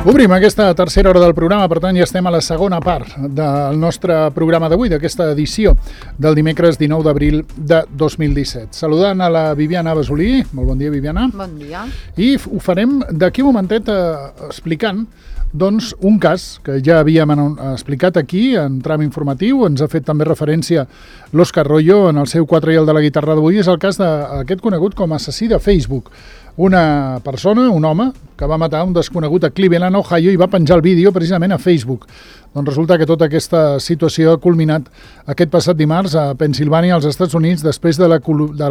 Obrim aquesta tercera hora del programa, per tant ja estem a la segona part del nostre programa d'avui, d'aquesta edició del dimecres 19 d'abril de 2017. Saludant a la Viviana Basolí. Molt bon dia, Viviana. Bon dia. I ho farem d'aquí un momentet explicant doncs, un cas que ja havíem explicat aquí en tram informatiu. Ens ha fet també referència l'Òscar Royo en el seu 4 i el de la guitarra d'avui. És el cas d'aquest conegut com a assassí de Facebook. Una persona, un home, que va matar un desconegut a Cleveland, Ohio, i va penjar el vídeo precisament a Facebook. Doncs resulta que tota aquesta situació ha culminat aquest passat dimarts a Pennsilvània, als Estats Units, després de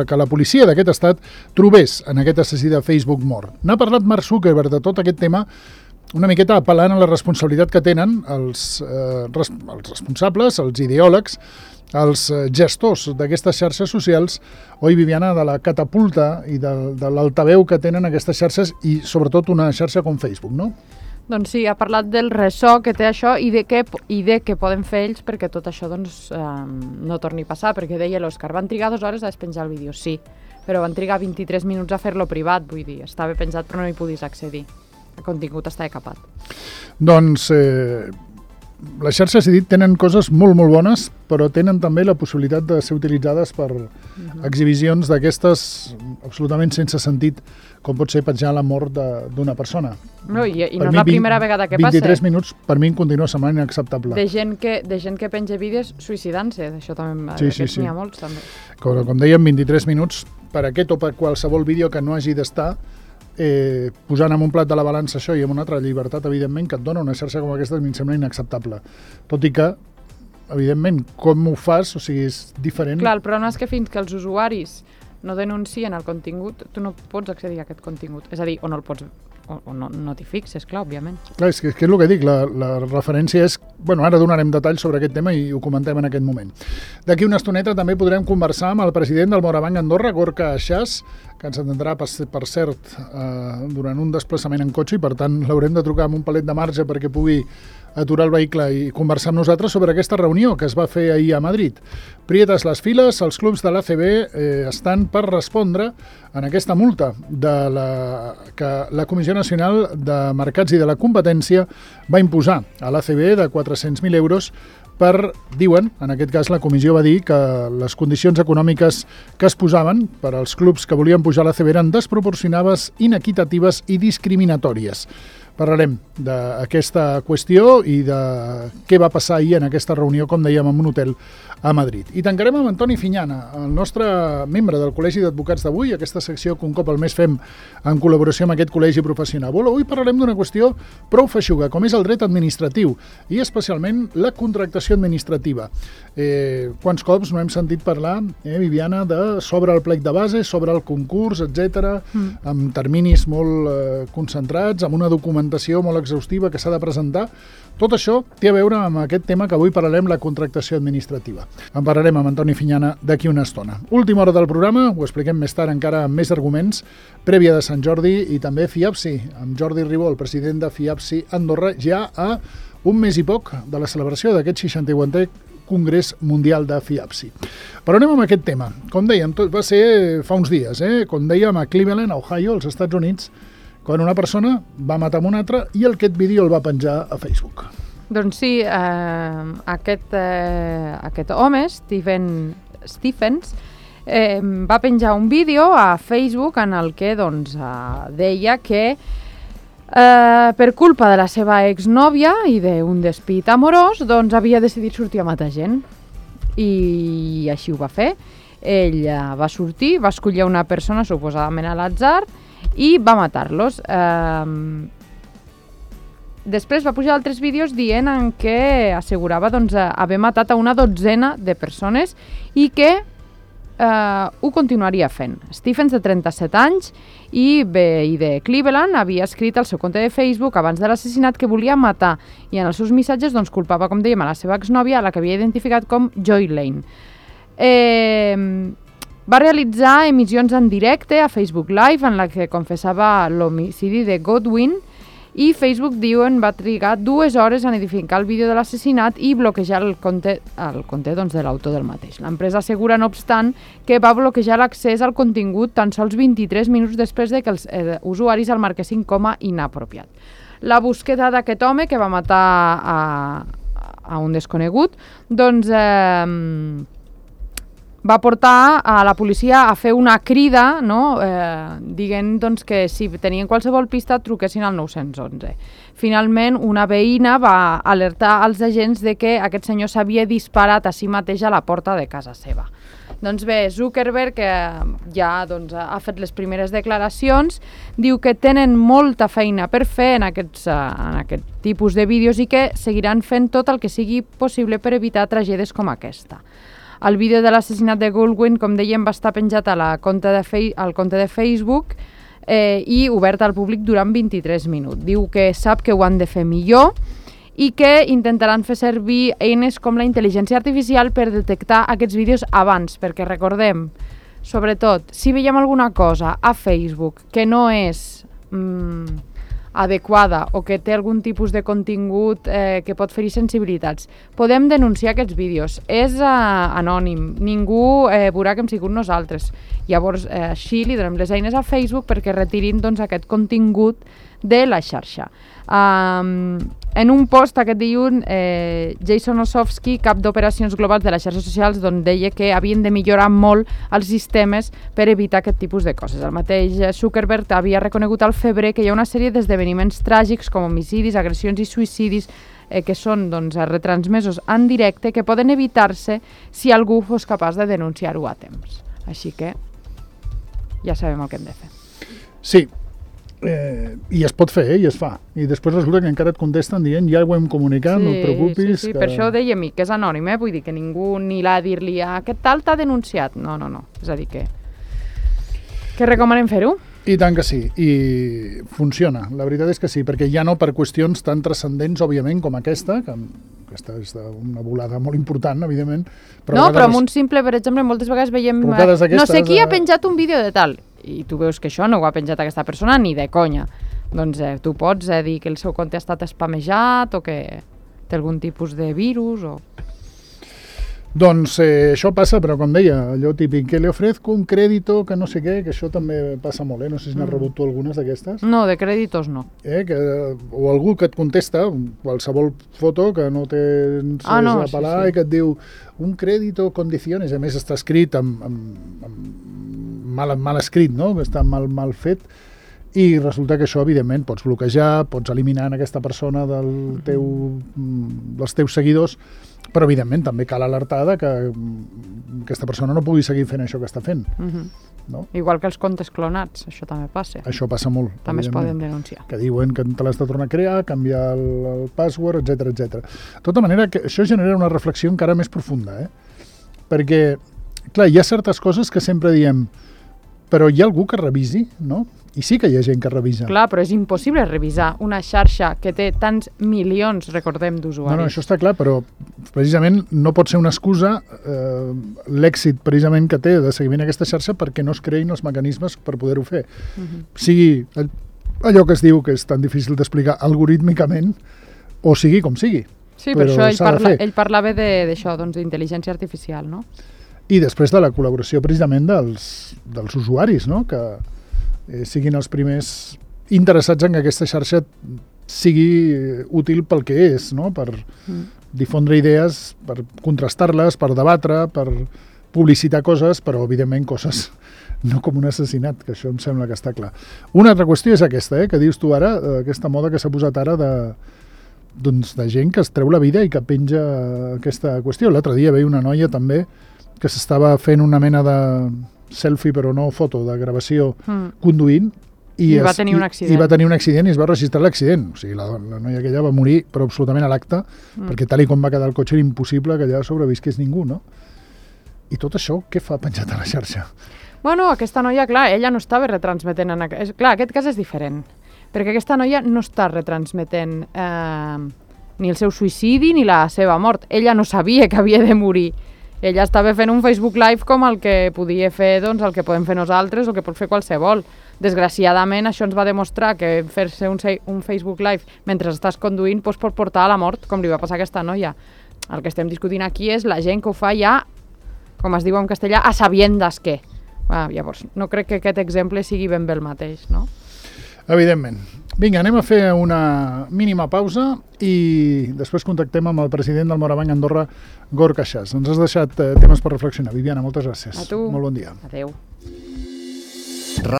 que la policia d'aquest estat trobés en aquest assassí de Facebook mort. N'ha parlat Mark Zuckerberg de tot aquest tema, una miqueta apel·lant a la responsabilitat que tenen els responsables, els ideòlegs, els gestors d'aquestes xarxes socials, oi, Viviana, de la catapulta i de l'altaveu que tenen aquestes xarxes i sobretot una xarxa com Facebook, no? Doncs sí, ha parlat del ressò que té això i de què poden fer ells perquè tot això doncs, no torni a passar, perquè deia l'Òscar, van trigar 2 hores a despenjar el vídeo, sí, però van trigar 23 minuts a fer-lo privat, vull dir, estava penjat però no hi podies accedir. El contingut està capat. Doncs les xarxes, he dit, tenen coses molt, molt bones, però tenen també la possibilitat de ser utilitzades per exhibicions d'aquestes absolutament sense sentit, com pot ser petjar la mort d'una persona. No, i no és la primera vegada que passa. 23 minuts per mi em continua semblant inacceptable. De gent que penja vídeos suïcidant-se, d'això també n'hi ha molts també. Com dèiem, 23 minuts per aquest o per qualsevol vídeo que no hagi d'estar, posant en un plat de la balança això i en una altra llibertat, evidentment, que et dona una xarxa com aquesta, em sembla inacceptable. Tot i que, evidentment, com ho fas, o sigui, és diferent. Clar, el problema és que fins que els usuaris no denuncien el contingut, tu no pots accedir a aquest contingut. És a dir, o no el pots, o no t'hi fixes, clar, òbviament. Clar, és que és el que dic, la referència és... Bueno, ara donarem detalls sobre aquest tema i ho comentem en aquest moment. D'aquí una estoneta també podrem conversar amb el president del Morabanc Andorra, Gorka Achas, que ens atendrà, per cert, durant un desplaçament en cotxe i, per tant, l'haurem de trucar amb un palet de marge perquè pugui aturar el vehicle i conversar amb nosaltres sobre aquesta reunió que es va fer ahir a Madrid. Prietes les files, els clubs de l'ACB estan per respondre en aquesta multa que la Comissió Nacional de Mercats i de la Competència va imposar a l'ACB de 400.000 euros diuen, en aquest cas la comissió va dir que les condicions econòmiques que es posaven per als clubs que volien pujar a l'ACB eren desproporcionades, inequitatives i discriminatòries. Parlarem d'aquesta qüestió i de què va passar ahir en aquesta reunió, com dèiem, en un hotel a Madrid. I tancarem amb Antoni Fiñana, el nostre membre del Col·legi d'Advocats d'avui, aquesta secció que un cop al mes fem en col·laboració amb aquest col·legi professional. Avui parlarem d'una qüestió prou feixuga, com és el dret administratiu i especialment la contractació administrativa. Quants cops no hem sentit parlar, Viviana, sobre el plec de base, sobre el concurs, etc., amb terminis molt concentrats, amb una documentació molt exhaustiva que s'ha de presentar. Tot això té a veure amb aquest tema que avui parlarem, la contractació administrativa. En parlarem amb Antoni Fiñana d'aquí una estona. Última hora del programa, ho expliquem més tard encara amb més arguments, prèvia de Sant Jordi i també FIAPSI, amb Jordi Ribó, el president de FIAPSI Andorra, ja a un mes i poc de la celebració d'aquest 61è Congrés Mundial de FIAPSI. Però anem amb aquest tema. Com dèiem, tot va ser fa uns dies, com dèiem, a Cleveland, a Ohio, als Estats Units, quan una persona va matar amb una altra i aquest vídeo el va penjar a Facebook. Doncs sí, aquest home, Stephens, va penjar un vídeo a Facebook en el que doncs, deia que per culpa de la seva exnòvia i d'un despit amorós, doncs havia decidit sortir a matar gent. I així ho va fer. Ell va sortir, va escollir una persona suposadament a l'atzar i va matar-los. Després va pujar altres vídeos dient en què assegurava doncs, haver matat a una 12 de persones i que ho continuaria fent. Stephens, de 37 anys i de Cleveland, havia escrit al seu compte de Facebook abans de l'assassinat que volia matar i en els seus missatges doncs, culpava, com dèiem, a la seva exnòvia, a la que havia identificat com Joy Lane. Va realitzar emissions en directe a Facebook Live en la que confessava l'homicidi de Godwin i Facebook, diuen, va trigar 2 hores en edificar el vídeo de l'assassinat i bloquejar el compte doncs, de l'autor del mateix. L'empresa assegura, no obstant, que va bloquejar l'accés al contingut tan sols 23 minuts després de que els usuaris el marquessin com a inapropiat. la búsqueda d'aquest home que va matar a un desconegut, doncs va portar a la policia a fer una crida, no? Dient doncs, que si tenien qualsevol pista truquessin al 911. Finalment, una veïna va alertar als agents de que aquest senyor s'havia disparat a si mateix a la porta de casa seva. Doncs bé, Zuckerberg, que ja doncs, ha fet les primeres declaracions, diu que tenen molta feina per fer en aquest tipus de vídeos i que seguiran fent tot el que sigui possible per evitar tragèdies com aquesta. El vídeo de l'assassinat de Goldwyn, com dèiem, va estar penjat al compte de Facebook i obert al públic durant 23 minuts. Diu que sap que ho han de fer millor i que intentaran fer servir eines com la intel·ligència artificial per detectar aquests vídeos abans, perquè recordem, sobretot, si veiem alguna cosa a Facebook que no és adequada o que té algun tipus de contingut que pot ferir sensibilitats, podem denunciar aquests vídeos. És anònim, ningú veurà que hem sigut nosaltres. Llavors, així li donem les eines a Facebook perquè retirin doncs, aquest contingut de la xarxa. En un post aquest dilluns, Jason Osofsky, cap d'operacions globals de les xarxes socials, deia que havien de millorar molt els sistemes per evitar aquest tipus de coses. El mateix Zuckerberg havia reconegut al febrer que hi ha una sèrie d'esdeveniments tràgics com homicidis, agressions i suïcidis que són retransmesos en directe que poden evitar-se si algú fos capaç de denunciar-ho a temps. Així que ja sabem el que hem de fer. Sí. I es pot fer, i es fa. I després resulta que encara et contesten dient ja ho hem comunicat, no et preocupis. Sí, per això deia a mi, que és anònim, vull dir que ningú ni l'ha a dir-li aquest tal t'ha denunciat. No. És a dir que recomanem fer-ho. I tant que sí, i funciona. La veritat és que sí, perquè ja no per qüestions tan transcendents, òbviament, com aquesta, que aquesta és una volada molt important, evidentment. Però amb un simple, per exemple, moltes vegades veiem no sé qui ha penjat un vídeo de tal, i tu veus que això no ho ha penjat aquesta persona ni de conya. Doncs tu pots dir que el seu compte ha estat spamejat o que té algun tipus de virus o... Doncs això passa, però com deia, allò típic, que le ofrezco un crédito, que no sé què, que això també passa molt, no sé si n'has rebut tu algunes d'aquestes. No, de crèditos no. O algú que et contesta, qualsevol foto que no tens a pelar i que et diu un crédito condiciones, a més està escrit mal escrit, no? Està mal fet, i resulta que això, evidentment, pots bloquejar, pots eliminar aquesta persona dels teus seguidors, però, evidentment, també cal alertar que aquesta persona no pugui seguir fent això que està fent. No? Igual que els comptes clonats, això també passa. Això passa molt. També es poden denunciar. Que diuen que te l'has de tornar a crear, canviar el password, etc etc. De tota manera, que això genera una reflexió encara més profunda, perquè, clar, hi ha certes coses que sempre diem, però hi ha algú que revisi, no? I sí que hi ha gent que revisa. Clar, però és impossible revisar una xarxa que té tants milions, recordem, d'usuaris. No, això està clar, però precisament no pot ser una excusa l'èxit precisament que té de seguiment aquesta xarxa perquè no es creïn els mecanismes per poder-ho fer. Sigui allò que es diu que és tan difícil d'explicar algorítmicament o sigui com sigui. Sí, per això ell parlava d'això, doncs, d'intel·ligència artificial, no? I després de la col·laboració precisament dels usuaris, no? Que siguin els primers interessats en que aquesta xarxa sigui útil pel que és, no? Per difondre idees, per contrastar-les, per debatre, per publicitar coses, però evidentment coses no com un assassinat, que això em sembla que està clar. Una altra qüestió és aquesta, que dius tu ara, aquesta moda que s'ha posat ara de gent que es treu la vida i que penja aquesta qüestió. L'altre dia veia una noia també que s'estava fent una mena de selfie, però no foto, de gravació conduint i va tenir un accident. I va tenir un accident i es va registrar l'accident. O sigui, la noia aquella va morir, però absolutament a l'acte, perquè tal i com va quedar el cotxe era impossible que allà sobrevisqués ningú, no? I tot això, què fa penjat a la xarxa? Bueno, aquesta noia, clar, ella no estava retransmetent... Clar, aquest cas és diferent, perquè aquesta noia no està retransmetent ni el seu suïcidi ni la seva mort. Ella no sabia que havia de morir. Ella estava fent un Facebook Live com el que podia fer, doncs, el que podem fer nosaltres o que pot fer qualsevol. Desgraciadament, això ens va demostrar que fer-se un Facebook Live mentre estàs conduint pot portar a la mort, com li va passar a aquesta noia. El que estem discutint aquí és la gent que ho fa ja, com es diu en castellà, a sabiendas que. Llavors, no crec que aquest exemple sigui ben bé el mateix, no? Evidentment. Vinga, anem a fer una mínima pausa i després contactem amb el president del Morabanc Andorra, Gorka Chas. Ens has deixat temes per reflexionar. Viviana, moltes gràcies. A tu. Molt bon dia. Adéu.